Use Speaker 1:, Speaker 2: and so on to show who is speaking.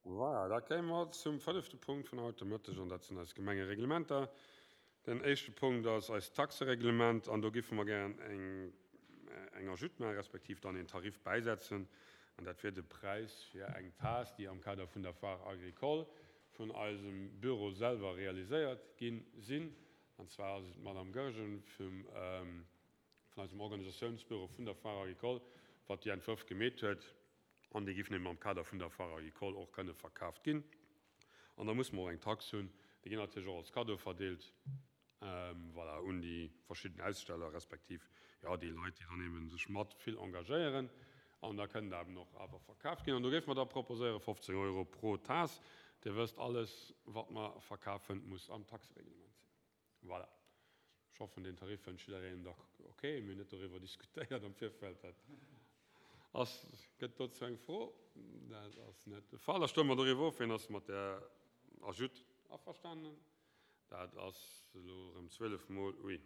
Speaker 1: Voilà, da kéime mer zum fënnefte Punkt vun haut de Mëtteg, an dat sinn eis Gemengereglementer. Den éischte Punkt ass eist Taxereglement, an do giffe mer gären eng, eng Ajoute maachen, respektiv dann een Tarif bäisetzen, an dat wier de Präis fir eng Taass, déi am Kader vun der Foire agricole vun eisem Büro selwer realiséiert gi sinn. An zwar ass et d'Madame Goergen vum, vun eisem Organisatiounsbüro vun der Foire agricole, wat déi Entwërf gemeet huet. An déi géifen eben am Kader vun der Foire agricole och kënne verkaaft ginn. An da musse mer och eng Tax hunn. Déi ginn natierlech och als Cadeau verdeelt, voilà, un déi verschidden Aussteller respektiv, jo, déi Leit, déi dann eben sech mat vill engagéieren. An da kënnen der eben och awer verkaaft ginn. An do géife mer da proposéiere 15 Euro pro Taass. Dir wësst, alles, wat mer verkafen, muss am Taxereglement sinn. Voilà. Ech hoffen, deen Tarif fënnt jiddereen da ok. Mir hunn net doriwwer diskutéiert am Virfeld. Dat ass, gëtt dozou eng Fro? Dat ass net de Fall. Da stëmme mer doriwwer of. Wien ass mat där Ajoute averstanen? Dat ass elo erëm 12 mol, ui.